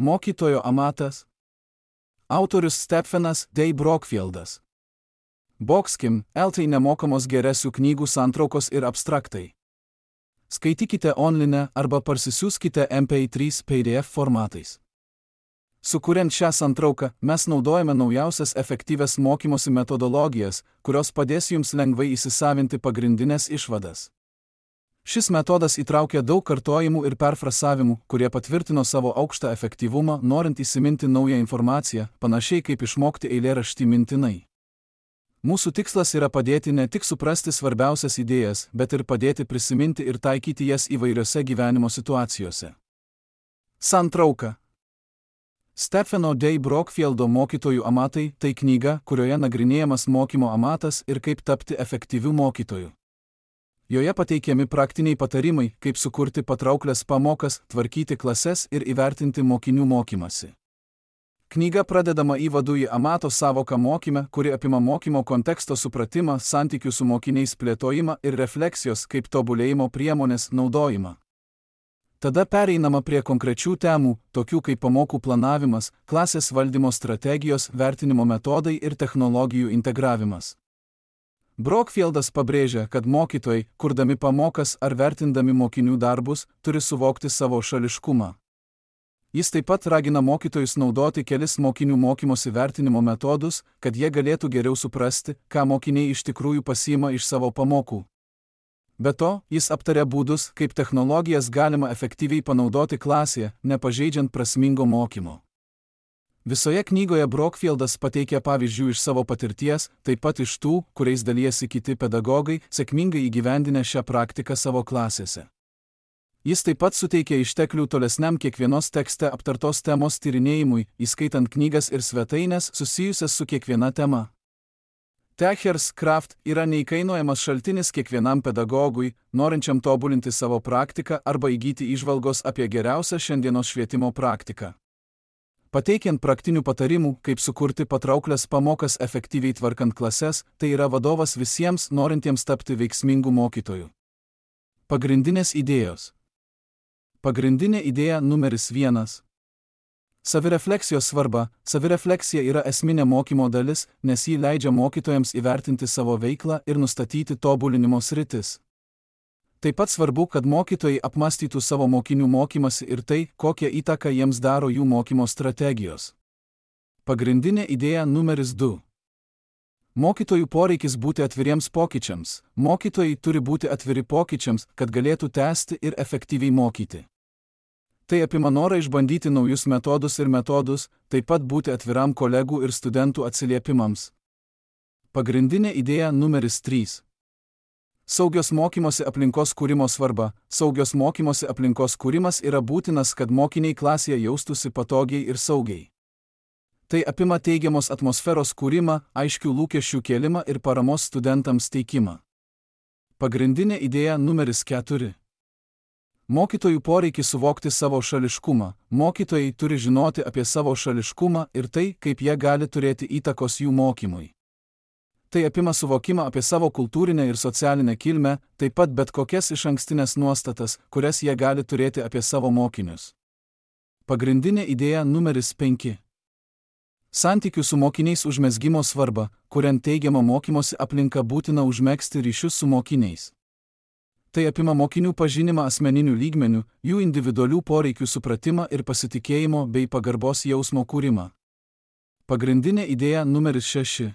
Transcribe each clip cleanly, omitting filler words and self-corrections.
Mokytojo amatas. Autorius Stephenas D. Brockfieldas. Boxkim, LT nemokamos geresių knygų santraukos ir abstraktai. Skaitykite online arba parsisiųskite MP3 PDF formatais. Sukuriant šią santrauką, mes naudojame naujausias efektyvias mokymosi metodologijas, kurios padės jums lengvai įsisavinti pagrindinės išvadas. Šis metodas įtraukia daug kartojimų ir perfrasavimų, kurie patvirtino savo aukštą efektyvumą, norint įsiminti naują informaciją, panašiai kaip išmokti eilėraštį mintinai. Mūsų tikslas yra padėti ne tik suprasti svarbiausias idėjas, bet ir padėti prisiminti ir taikyti jas įvairiose gyvenimo situacijose. Santrauka. Stepheno D. Brockfieldo Mokytojų amatai tai knyga, kurioje nagrinėjamas mokymo amatas ir kaip tapti efektyviu mokytoju. Joje pateikiami praktiniai patarimai, kaip sukurti patrauklias pamokas, tvarkyti klases ir įvertinti mokinių mokymasi. Knyga pradedama įvadu į amato savoką mokyme, kuri apima mokymo konteksto supratimą, santykių su mokiniais plėtojimą ir refleksijos kaip tobulėjimo priemonės naudojimą. Tada pereinama prie konkrečių temų, tokių kaip pamokų planavimas, klasės valdymo strategijos, vertinimo metodai ir technologijų integravimas. Brockfieldas pabrėžia, kad mokytojai, kurdami pamokas ar vertindami mokinių darbus, turi suvokti savo šališkumą. Jis taip pat ragina mokytojus naudoti kelis mokinių mokymosi vertinimo metodus, kad jie galėtų geriau suprasti, ką mokiniai iš tikrųjų pasiima iš savo pamokų. Be to, jis aptaria būdus, kaip technologijas galima efektyviai panaudoti klasėje, nepažeidžiant prasmingo mokymo. Visoje knygoje Brockfieldas pateikia pavyzdžių iš savo patirties, taip pat iš tų, kuriais dalijasi kiti pedagogai, sėkmingai įgyvendinę šią praktiką savo klasėse. Jis taip pat suteikia išteklių tolesniam kiekvienos tekste aptartos temos tyrinėjimui, įskaitant knygas ir svetaines susijusias su kiekviena tema. Techers Craft yra neįkainojamas šaltinis kiekvienam pedagogui, norinčiam tobulinti savo praktiką arba įgyti įžvalgos apie geriausią šiandienos švietimo praktiką. Pateikiant praktinių patarimų, kaip sukurti patrauklias pamokas efektyviai tvarkant klases, tai yra vadovas visiems norintiems tapti veiksmingų mokytojų. Pagrindinės idėjos. Pagrindinė idėja numeris 1. Savirefleksijos svarba. Savirefleksija yra esminė mokymo dalis, nes ji leidžia mokytojams įvertinti savo veiklą ir nustatyti tobulinimo sritis. Taip pat svarbu, kad mokytojai apmąstytų savo mokinių mokymasi ir tai, kokią įtaką jiems daro jų mokymo strategijos. Pagrindinė idėja numeris 2. Mokytojų poreikis būti atviriems pokyčiams. Mokytojai turi būti atviri pokyčiams, kad galėtų tęsti ir efektyviai mokyti. Tai apima norą išbandyti naujus metodus, taip pat būti atviram kolegų ir studentų atsiliepimams. Pagrindinė idėja numeris 3. Saugios mokymosi aplinkos kūrimo svarba. Saugios mokymosi aplinkos kūrimas yra būtinas, kad mokiniai klasėje jaustųsi patogiai ir saugiai. Tai apima teigiamos atmosferos kūrimą, aiškių lūkesčių kėlimą ir paramos studentams teikimą. Pagrindinė idėja numeris 4. Mokytojų poreikis suvokti savo šališkumą. Mokytojai turi žinoti apie savo šališkumą ir tai, kaip jie gali turėti įtakos jų mokymui. Tai apima suvokimą apie savo kultūrinę ir socialinę kilmę, taip pat bet kokias išankstinės nuostatas, kurias jie gali turėti apie savo mokinius. Pagrindinė idėja numeris 5. Santykių su mokiniais užmezgimo svarba. Kuriant teigiamą mokymosi aplinką būtina užmegzti ryšius su mokiniais. Tai apima mokinių pažinimą asmeninių lygmenių, jų individualių poreikių supratimą ir pasitikėjimo bei pagarbos jausmo kūrimą. Pagrindinė idėja numeris 6.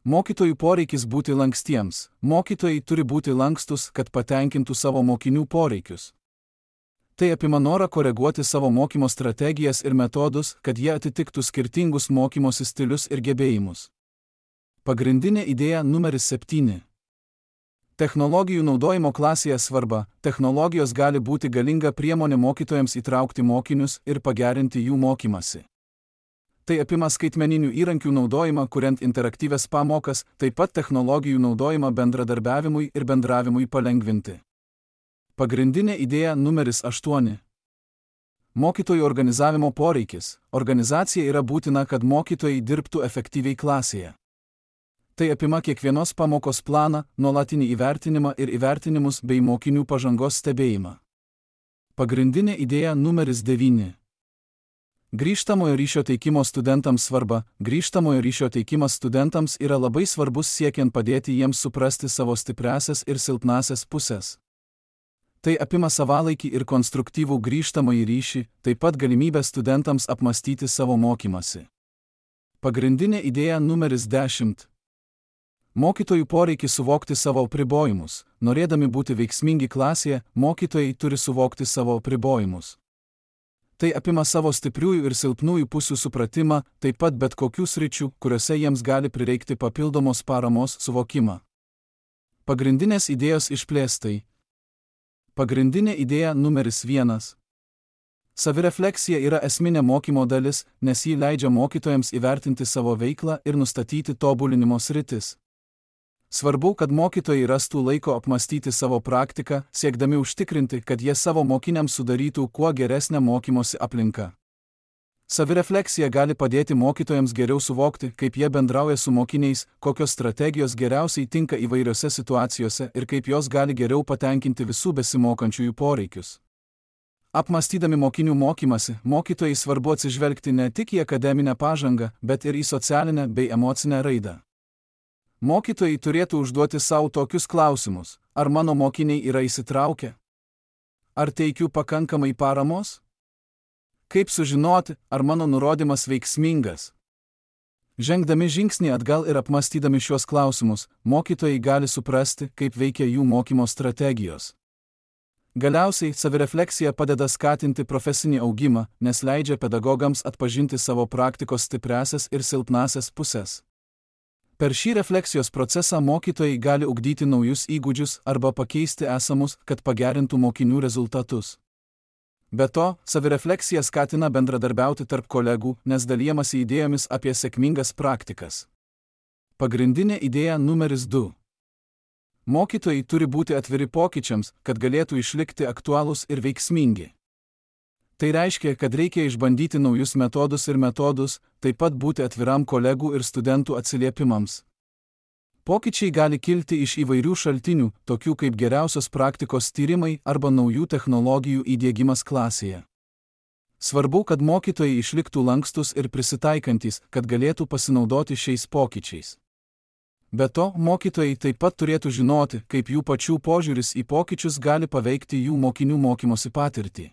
Mokytojų poreikis būti lankstiems. Mokytojai turi būti lankstus, kad patenkintų savo mokinių poreikius. Tai apima norą koreguoti savo mokymo strategijas ir metodus, kad jie atitiktų skirtingus mokymosi stilius ir gebėjimus. Pagrindinė idėja numeris 7. Technologijų naudojimo klasėje svarba. Technologijos gali būti galinga priemonė mokytojams įtraukti mokinius ir pagerinti jų mokymasi. Tai apima skaitmeninių įrankių naudojimą, kuriant interaktyvias pamokas, taip pat technologijų naudojimą bendradarbiavimui ir bendravimui palengvinti. Pagrindinė idėja numeris 8. Mokytojų organizavimo poreikis. Organizacija yra būtina, kad mokytojai dirbtų efektyviai klasėje. Tai apima kiekvienos pamokos planą, nuolatinį įvertinimą ir įvertinimus bei mokinių pažangos stebėjimą. Pagrindinė idėja numeris 9. Grįžtamojo ryšio teikimo studentams svarba. Grįžtamojo ryšio teikimas studentams yra labai svarbus siekiant padėti jiems suprasti savo stipriąsias ir silpnąsias pusės. Tai apima savalaikį ir konstruktyvų grįžtamąjį ryšį, taip pat galimybę studentams apmastyti savo mokymąsi. Pagrindinė idėja numeris 10. Mokytojų poreikį suvokti savo apribojimus. Norėdami būti veiksmingi klasėje, mokytojai turi suvokti savo apribojimus. Tai apima savo stipriųjų ir silpnųjų pusių supratimą, taip pat bet kokių sričių, kuriuose jiems gali prireikti papildomos paramos suvokimą. Pagrindinės idėjos išplėstai. Pagrindinė idėja numeris 1. Savirefleksija yra esminė mokymo dalis, nes ji leidžia mokytojams įvertinti savo veiklą ir nustatyti tobulinimo sritis. Svarbu, kad mokytojai rastų laiko apmastyti savo praktiką, siekdami užtikrinti, kad jie savo mokiniams sudarytų kuo geresnę mokymosi aplinką. Savirefleksija gali padėti mokytojams geriau suvokti, kaip jie bendrauja su mokiniais, kokios strategijos geriausiai tinka įvairiose situacijose ir kaip jos gali geriau patenkinti visų besimokančiųjų poreikius. Apmastydami mokinių mokymasi, mokytojai svarbu atsižvelgti ne tik į akademinę pažangą, bet ir į socialinę bei emocinę raidą. Mokytojai turėtų užduoti savo tokius klausimus: ar mano mokiniai yra įsitraukę? Ar teikiu pakankamai paramos? Kaip sužinoti, ar mano nurodymas veiksmingas? Žengdami žingsnį atgal ir apmastydami šiuos klausimus, mokytojai gali suprasti, kaip veikia jų mokymo strategijos. Galiausiai, savirefleksija padeda skatinti profesinį augimą, nes leidžia pedagogams atpažinti savo praktikos stipriąsias ir silpnąsias pusės. Per šį refleksijos procesą mokytojai gali ugdyti naujus įgūdžius arba pakeisti esamus, kad pagerintų mokinių rezultatus. Be to, savirefleksija skatina bendradarbiauti tarp kolegų, nes dalijamasi idėjomis apie sėkmingas praktikas. Pagrindinė idėja numeris 2. Mokytojai turi būti atviri pokyčiams, kad galėtų išlikti aktualūs ir veiksmingi. Tai reiškia, kad reikia išbandyti naujus metodus, taip pat būti atviram kolegų ir studentų atsiliepimams. Pokyčiai gali kilti iš įvairių šaltinių, tokių kaip geriausios praktikos tyrimai arba naujų technologijų įdiegimas klasėje. Svarbu, kad mokytojai išliktų lankstus ir prisitaikantis, kad galėtų pasinaudoti šiais pokyčiais. Be to, mokytojai taip pat turėtų žinoti, kaip jų pačių požiūris į pokyčius gali paveikti jų mokinių mokymosi patirtį.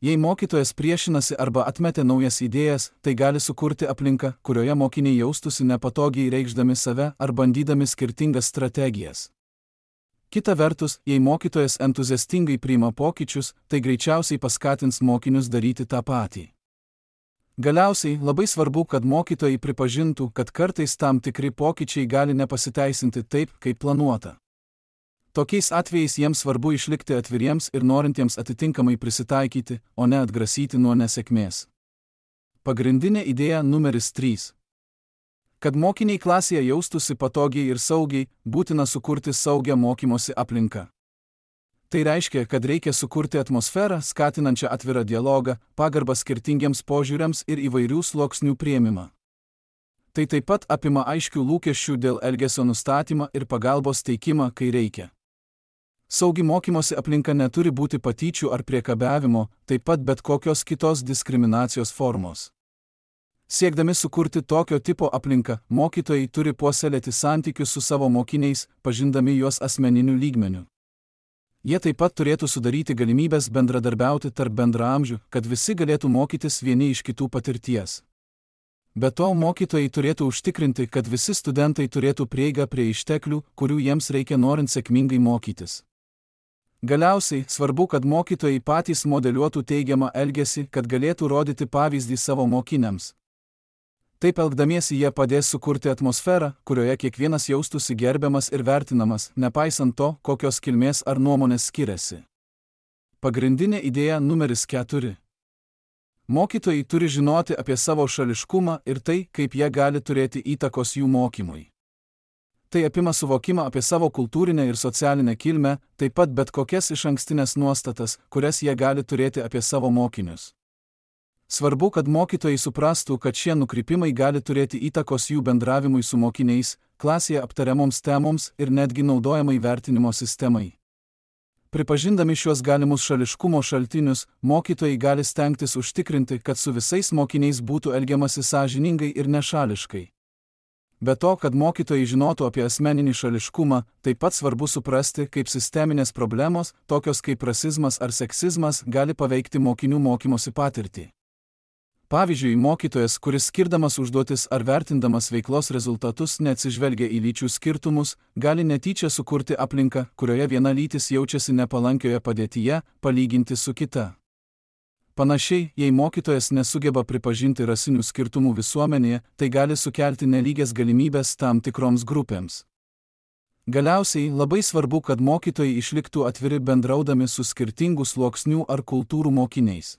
Jei mokytojas priešinasi arba atmetė naujas idėjas, tai gali sukurti aplinką, kurioje mokiniai jaustųsi nepatogiai reikšdami save ar bandydami skirtingas strategijas. Kita vertus, jei mokytojas entuziastingai priima pokyčius, tai greičiausiai paskatins mokinius daryti tą patį. Galiausiai, labai svarbu, kad mokytojai pripažintų, kad kartais tam tikri pokyčiai gali nepasiteisinti taip, kaip planuota. Tokiais atvejais jiems svarbu išlikti atviriems ir norintiems atitinkamai prisitaikyti, o ne atgrasyti nuo nesėkmės. Pagrindinė idėja numeris 3. Kad mokiniai klasėje jaustųsi patogiai ir saugiai, būtina sukurti saugią mokymosi aplinką. Tai reiškia, kad reikia sukurti atmosferą, skatinančią atvirą dialogą, pagarbą skirtingiems požiūriams ir įvairių sluoksnių priėmimą. Tai taip pat apima aiškių lūkesčių dėl elgesio nustatymą ir pagalbos teikimą, kai reikia. Saugi mokymosi aplinka neturi būti patyčių ar priekabiavimo, taip pat bet kokios kitos diskriminacijos formos. Siekdami sukurti tokio tipo aplinką, mokytojai turi puoselėti santykius su savo mokiniais, pažindami juos asmeniniu lygmeniu. Jie taip pat turėtų sudaryti galimybės bendradarbiauti tarp bendraamžių, kad visi galėtų mokytis vieni iš kitų patirties. Be to, mokytojai turėtų užtikrinti, kad visi studentai turėtų prieigą prie išteklių, kurių jiems reikia norint sėkmingai mokytis. Galiausiai, svarbu, kad mokytojai patys modeliuotų teigiamą elgesį, kad galėtų rodyti pavyzdį savo mokiniams. Taip elgdamiesi jie padės sukurti atmosferą, kurioje kiekvienas jaustųsi gerbiamas ir vertinamas, nepaisant to, kokios kilmės ar nuomonės skiriasi. Pagrindinė idėja numeris 4. Mokytojai turi žinoti apie savo šališkumą ir tai, kaip jie gali turėti įtakos jų mokymui. Tai apima suvokimą apie savo kultūrinę ir socialinę kilmę, taip pat bet kokias išankstinės nuostatas, kurias jie gali turėti apie savo mokinius. Svarbu, kad mokytojai suprastų, kad šie nukrypimai gali turėti įtakos jų bendravimui su mokiniais, klasėje aptariamoms temoms ir netgi naudojamai vertinimo sistemai. Pripažindami šiuos galimus šališkumo šaltinius, mokytojai gali stengtis užtikrinti, kad su visais mokiniais būtų elgiamasi sąžiningai ir nešališkai. Be to, kad mokytojai žinotų apie asmeninį šališkumą, taip pat svarbu suprasti, kaip sisteminės problemos, tokios kaip rasizmas ar seksizmas, gali paveikti mokinių mokymosi patirtį. Pavyzdžiui, mokytojas, kuris skirdamas užduotis ar vertindamas veiklos rezultatus neatsižvelgia į lyčių skirtumus, gali netyčia sukurti aplinką, kurioje viena lytis jaučiasi nepalankioje padėtyje, palyginti su kita. Panašiai, jei mokytojas nesugeba pripažinti rasinių skirtumų visuomenėje, tai gali sukelti nelygias galimybės tam tikroms grupėms. Galiausiai, labai svarbu, kad mokytojai išliktų atviri bendraudami su skirtingų sluoksnių ar kultūrų mokiniais.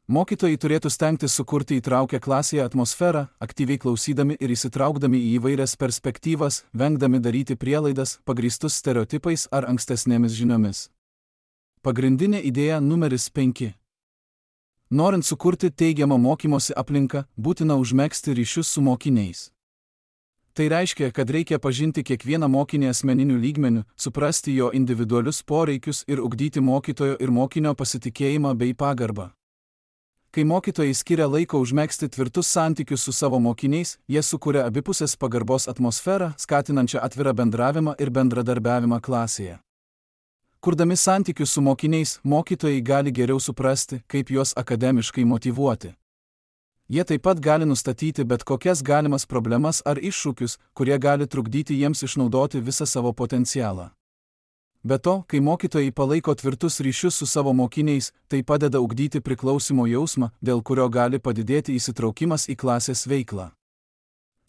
Mokytojai turėtų stengtis sukurti įtraukę klasėje atmosferą, aktyviai klausydami ir įsitraukdami į įvairias perspektyvas, vengdami daryti prielaidas, pagrįstus stereotipais ar ankstesnėmis žiniomis. Pagrindinė idėja numeris 5. Norint sukurti teigiamą mokymosi aplinką, būtina užmegzti ryšius su mokiniais. Tai reiškia, kad reikia pažinti kiekvieną mokinį asmeniniu lygmeniu, suprasti jo individualius poreikius ir ugdyti mokytojo ir mokinio pasitikėjimą bei pagarbą. Kai mokytojai skiria laiko užmegzti tvirtus santykius su savo mokiniais, jie sukuria abipusės pagarbos atmosferą, skatinančią atvirą bendravimą ir bendradarbiavimą klasėje. Kurdami santykius su mokiniais, mokytojai gali geriau suprasti, kaip juos akademiškai motyvuoti. Jie taip pat gali nustatyti bet kokias galimas problemas ar iššūkius, kurie gali trukdyti jiems išnaudoti visą savo potencialą. Be to, kai mokytojai palaiko tvirtus ryšius su savo mokiniais, tai padeda ugdyti priklausimo jausmą, dėl kurio gali padidėti įsitraukimas į klasės veiklą.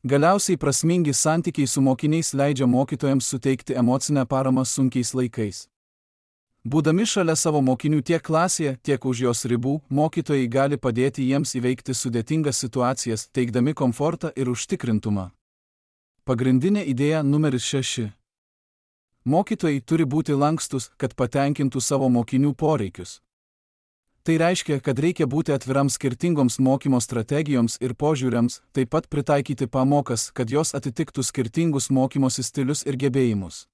Galiausiai prasmingi santykiai su mokiniais leidžia mokytojams suteikti emocinę paramą sunkiais laikais. Būdami šalia savo mokinių tiek klasėje, tiek už jos ribų, mokytojai gali padėti jiems įveikti sudėtingas situacijas, teikdami komfortą ir užtikrintumą. Pagrindinė idėja numeris 6. Mokytojai turi būti lankstus, kad patenkintų savo mokinių poreikius. Tai reiškia, kad reikia būti atviram skirtingoms mokymo strategijoms ir požiūriams, taip pat pritaikyti pamokas, kad jos atitiktų skirtingus mokymosi stilius ir gebėjimus.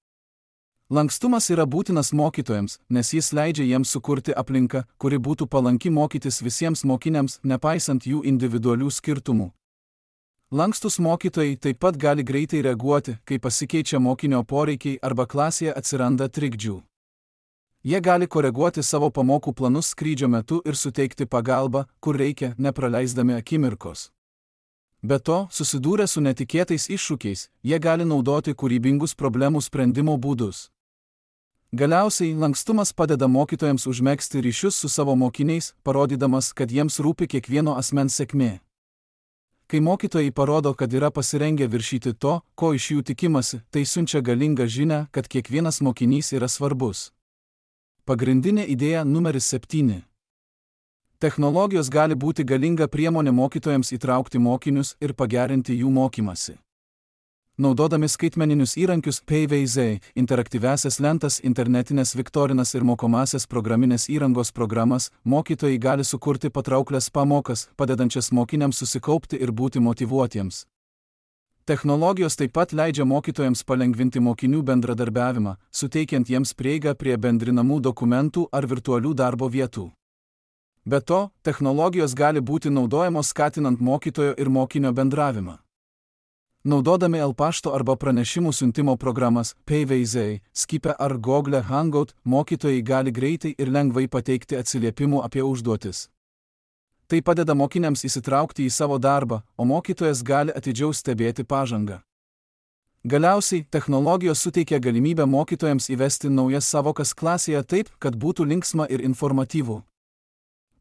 Lankstumas yra būtinas mokytojams, nes jis leidžia jiems sukurti aplinką, kuri būtų palanki mokytis visiems mokiniams, nepaisant jų individualių skirtumų. Lankstus mokytojai taip pat gali greitai reaguoti, kai pasikeičia mokinio poreikiai arba klasėje atsiranda trikdžių. Jie gali koreguoti savo pamokų planus skrydžio metu ir suteikti pagalbą, kur reikia, nepraleisdami akimirkos. Be to, susidūrę su netikėtais iššūkiais, jie gali naudoti kūrybingus problemų sprendimo būdus. Galiausiai, lankstumas padeda mokytojams užmegzti ryšius su savo mokiniais, parodydamas, kad jiems rūpi kiekvieno asmens sėkmė. Kai mokytojai parodo, kad yra pasirengę viršyti to, ko iš jų tikimasi, tai siunčia galingą žinią, kad kiekvienas mokinys yra svarbus. Pagrindinė idėja numeris 7. Technologijos gali būti galinga priemonė mokytojams įtraukti mokinius ir pagerinti jų mokymasi. Naudodami skaitmeninius įrankius PVZ, interaktyviasias lentas, internetinės viktorinas ir mokomasias programinės įrangos programas, mokytojai gali sukurti patrauklias pamokas, padedančias mokiniams susikaupti ir būti motyvuotiems. Technologijos taip pat leidžia mokytojams palengvinti mokinių bendradarbiavimą, suteikiant jiems prieigą prie bendrinamų dokumentų ar virtualių darbo vietų. Be to, technologijos gali būti naudojamos skatinant mokytojo ir mokinio bendravimą. Naudodami L-pašto arba pranešimų siuntimo programas PVZ, Skype ar Google Hangout, mokytojai gali greitai ir lengvai pateikti atsiliepimų apie užduotis. Tai padeda mokiniams įsitraukti į savo darbą, o mokytojas gali atidžiau stebėti pažangą. Galiausiai, technologijos suteikia galimybę mokytojams įvesti naujas savokas klasėje taip, kad būtų linksma ir informatyvu.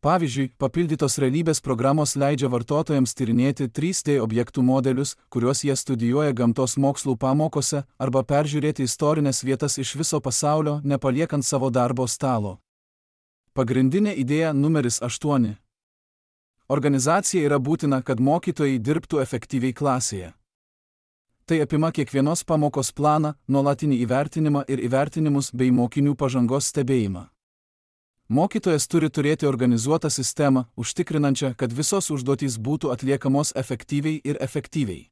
Pavyzdžiui, papildytos realybės programos leidžia vartotojams tyrinėti 3D objektų modelius, kuriuos jie studijuoja gamtos mokslų pamokose, arba peržiūrėti istorinės vietas iš viso pasaulio, nepaliekant savo darbo stalo. Pagrindinė idėja numeris 8. Organizacija yra būtina, kad mokytojai dirbtų efektyviai klasėje. Tai apima kiekvienos pamokos planą, nuolatinį įvertinimą ir įvertinimus bei mokinių pažangos stebėjimą. Mokytojas turi turėti organizuotą sistemą, užtikrinančią, kad visos užduotys būtų atliekamos efektyviai ir efektyviai.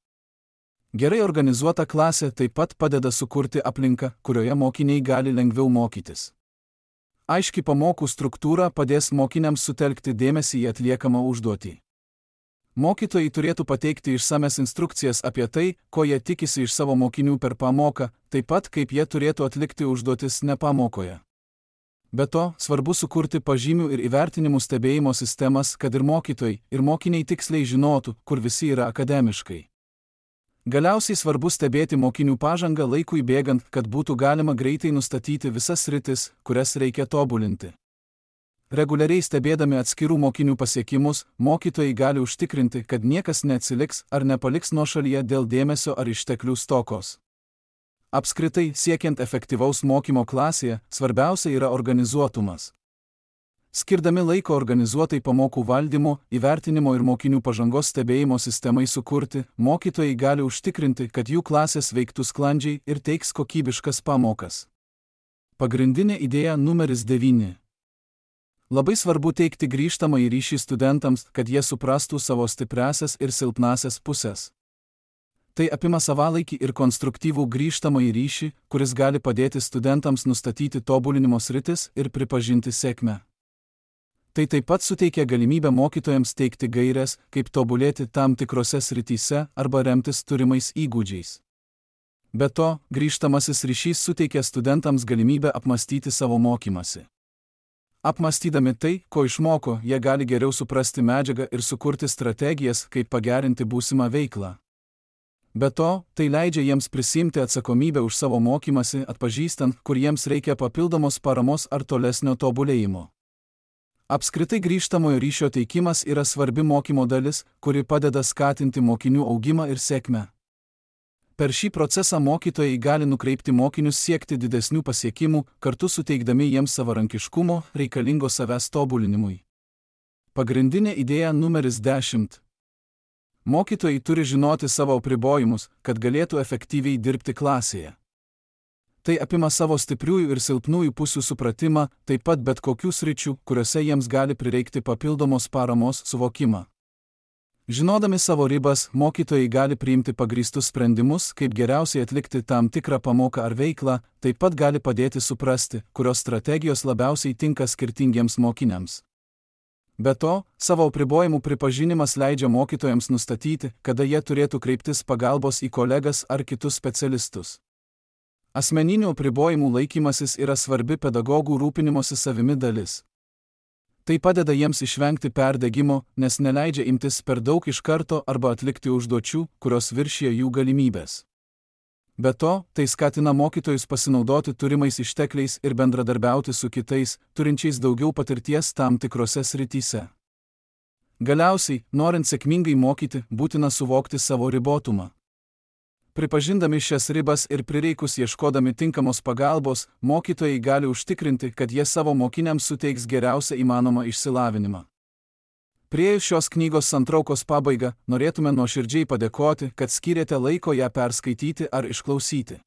Gerai organizuota klasė taip pat padeda sukurti aplinką, kurioje mokiniai gali lengviau mokytis. Aiški pamokų struktūra padės mokiniams sutelkti dėmesį į atliekamą užduotį. Mokytojai turėtų pateikti išsames instrukcijas apie tai, ko jie tikisi iš savo mokinių per pamoką, taip pat kaip jie turėtų atlikti užduotis ne pamokoje. Be to, svarbu sukurti pažymių ir įvertinimų stebėjimo sistemas, kad ir mokytojai, ir mokiniai tiksliai žinotų, kur visi yra akademiškai. Galiausiai svarbu stebėti mokinių pažangą laikui bėgant, kad būtų galima greitai nustatyti visas sritis, kurias reikia tobulinti. Reguliariai stebėdami atskirų mokinių pasiekimus, mokytojai gali užtikrinti, kad niekas neatsiliks ar nepaliks nuošalyje dėl dėmesio ar išteklių stokos. Apskritai, siekiant efektyvaus mokymo klasėje, svarbiausia yra organizuotumas. Skirdami laiko organizuotai pamokų valdymo, įvertinimo ir mokinių pažangos stebėjimo sistemai sukurti, mokytojai gali užtikrinti, kad jų klasės veiktų sklandžiai ir teiks kokybiškas pamokas. Pagrindinė idėja numeris 9. Labai svarbu teikti grįžtamąjį ryšį studentams, kad jie suprastų savo stipriąsias ir silpnąsias pusės. Tai apima savalaikį ir konstruktyvų grįžtamąjį ryšį, kuris gali padėti studentams nustatyti tobulinimo sritis ir pripažinti sėkmę. Tai taip pat suteikia galimybę mokytojams teikti gaires, kaip tobulėti tam tikrose srityse arba remtis turimais įgūdžiais. Be to, grįžtamasis ryšys suteikia studentams galimybę apmastyti savo mokymasi. Apmastydami tai, ko išmoko, jie gali geriau suprasti medžiagą ir sukurti strategijas, kaip pagerinti būsimą veiklą. Be to, tai leidžia jiems prisimti atsakomybę už savo mokymasi, atpažįstant, kur jiems reikia papildomos paramos ar tolesnio tobulėjimo. Apskritai grįžtamojo ryšio teikimas yra svarbi mokymo dalis, kuri padeda skatinti mokinių augimą ir sėkmę. Per šį procesą mokytojai gali nukreipti mokinius siekti didesnių pasiekimų, kartu suteikdami jiems savarankiškumo, reikalingo savęs tobulinimui. Pagrindinė idėja numeris 10. Mokytojai turi žinoti savo apribojimus, kad galėtų efektyviai dirbti klasėje. Tai apima savo stipriųjų ir silpnųjų pusių supratimą, taip pat bet kokių sričių, kuriuose jiems gali prireikti papildomos paramos suvokimą. Žinodami savo ribas, mokytojai gali priimti pagrįstus sprendimus, kaip geriausiai atlikti tam tikrą pamoką ar veiklą, taip pat gali padėti suprasti, kurios strategijos labiausiai tinka skirtingiems mokiniams. Be to, savo apribojimų pripažinimas leidžia mokytojams nustatyti, kada jie turėtų kreiptis pagalbos į kolegas ar kitus specialistus. Asmeninių apribojimų laikymasis yra svarbi pedagogų rūpinimosi savimi dalis. Tai padeda jiems išvengti perdegimo, nes neleidžia imtis per daug iš karto arba atlikti užduočių, kurios viršija jų galimybės. Be to, tai skatina mokytojus pasinaudoti turimais ištekliais ir bendradarbiauti su kitais, turinčiais daugiau patirties tam tikrose srityse. Galiausiai, norint sėkmingai mokyti, būtina suvokti savo ribotumą. Pripažindami šias ribas ir prireikus ieškodami tinkamos pagalbos, mokytojai gali užtikrinti, kad jie savo mokiniams suteiks geriausią įmanomą išsilavinimą. Priėjus šios knygos santraukos pabaigą, norėtume nuoširdžiai padėkoti, kad skyrėte laiko ją perskaityti ar išklausyti.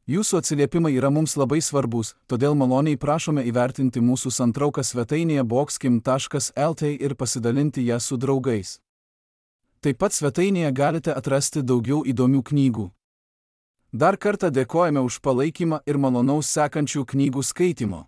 Jūsų atsiliepimai yra mums labai svarbus, todėl maloniai prašome įvertinti mūsų santrauką svetainėje boxkim.lt ir pasidalinti ją su draugais. Taip pat svetainėje galite atrasti daugiau įdomių knygų. Dar kartą dėkojame už palaikymą ir malonaus sekančių knygų skaitimo.